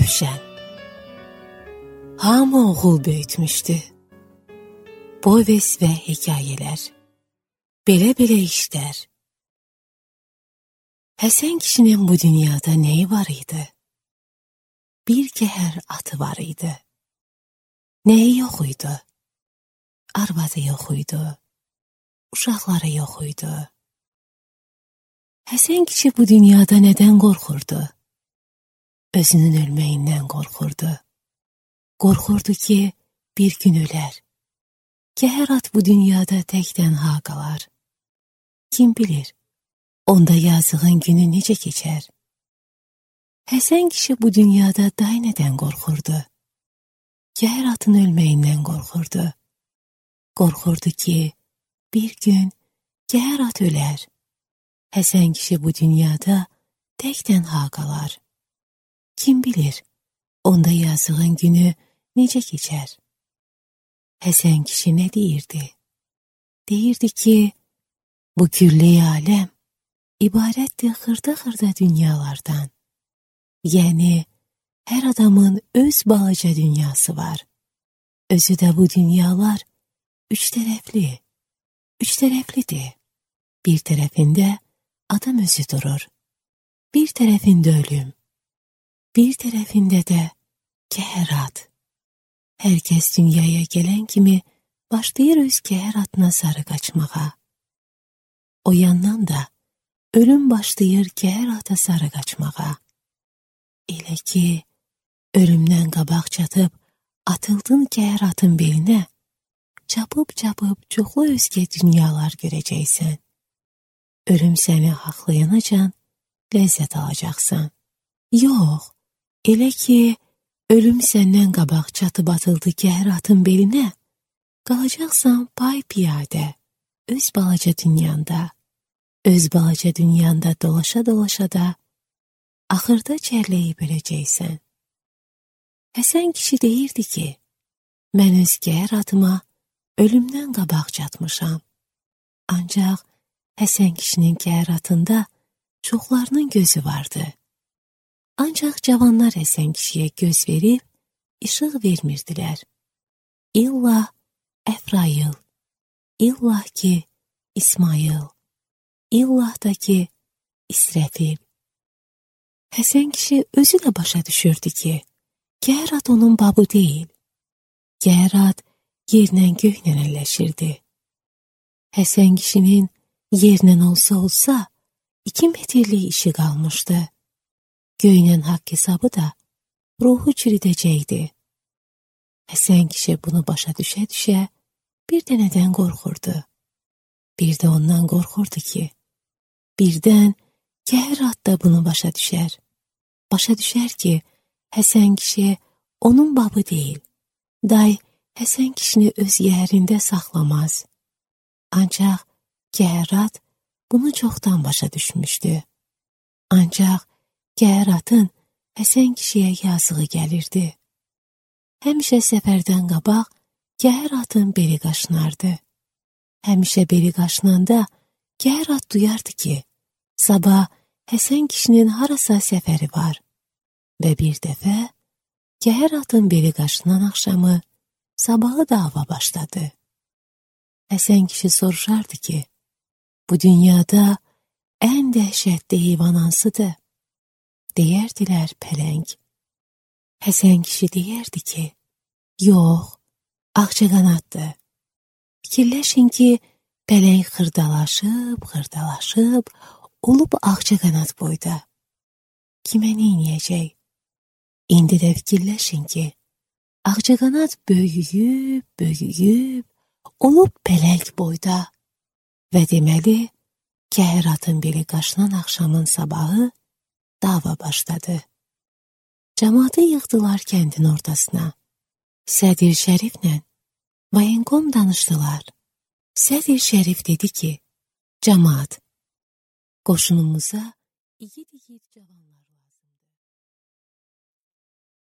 Rövşən. Hamı oğul böyütmüşdü. Povest və hekayələr. Belə-belə işlər. Həsən kişinin bu dünyada neyi var idi? Bir kəhər atı var idi. Neyi yox idi? Arvadı yox idi. Uşaqları yox idi. Həsən kişi bu dünyada nədən qorxurdu? Özünün ölməyindən qorxurdu. Qorxurdu ki, bir gün ölər. Kəhər at bu dünyada tək-tənha qalar. Kim bilir, onda yazığın günü necə keçər? Həsən kişi bu dünyada day nədən qorxurdu? Kəhər atın ölməyindən qorxurdu. Qorxurdu ki, bir gün kəhər at ölər. Həsən kişi bu dünyada tək-tənha qalar. Kim bilir, onda yazığın günü necə keçər? Həsən kişi nə deyirdi? Deyirdi ki, bu külli aləm ibarətdir xırda-xırda dünyalardan. Yəni, hər adamın öz balaca dünyası var. Özü də bu dünyalar üç tərəflidir. Bir tərəfində adam özü durur. Bir tərəfində ölüm. Bir tərəfində də kəhər at. Hər kəs dünyaya gələn kimi başlayır öz kəhər atına sarı qaçmağa. O yandan da ölüm başlayır kəhər ata sarı qaçmağa. Elə ki, ölümdən qabaq çatıb atıldın kəhər atın belinə, çapıb-çapıb çoxlu özgə dünyalar görəcəksən. Ölüm səni haqlayanacan ləzzət alacaqsan. Yox, elə ki, ölüm səndən qabaq çatıb atıldı kəhər atın belinə, qalacaqsan pay-piyadə, öz balaca dünyanda. Öz balaca dünyanda dolaşa-dolaşa da axırda çərləyib öləcəksən. Həsən kişi deyirdi ki, mən öz kəhər atıma ölümdən qabaq çatmışam. Ancaq Həsən kişinin kəhər atında çoxlarının gözü vardı. Ancaq cavanlar Həsən kişiyə göz verib, işıq vermirdilər. İllah Əfrail, illah ki İsmail, illah da ki İsrəfil. Həsən kişi özü də başa düşürdü ki, kəhər at onun babı deyil. Kəhər at yerlə göylə əlləşirdi. Həsən kişinin yerlə olsa 2 metrlik işi qalmışdı. Göylə haqq hesabı da ruhu çürüdəcəkdi. Həsən kişi bunu başa düşə-düşə bir də nədən qorxurdu? Bir də ondan qorxurdu ki, birdən kəhər at da bunu başa düşər. Başa düşər ki, Həsən kişi onun babı deyil. Day Həsən kişini öz yerində saxlamaz. Ancaq kəhər at bunu çoxdan başa düşmüşdü. Ancaq kəhər atın Həsən kişiyə yazığı gəlirdi. Həmişə səfərdən qabaq kəhər atın beli qaşınardı. Həmişə beli qaşınanda kəhər at duyardı ki, sabah Həsən kişinin harasa səfəri var. Və bir dəfə kəhər atın beli qaşınan axşamı sabahı dava başladı. Həsən kişi soruşardı ki, bu dünyada ən dəhşətli heyvan hansıdır? Deyərdilər pələng. Həsən kişi deyərdi ki, yox, ağcaqanaddır. Fikirləşin ki, pələng xırdalaşıb, olub ağcaqanad boyda. Kimə neyniyəcək? İndi də fikirləşin ki, ağcaqanad böyüyüb, olub pələng boyda. Və deməli, kəhər atın beli qaşınan axşamın sabahı dava başladı. Cəmaatı yığdılar kəndin ortasına. Sədir Şəriflə Vayenkom danışdılar. Sədir Şərif dedi ki, cəmaat, qoşunumuza igid cavanlar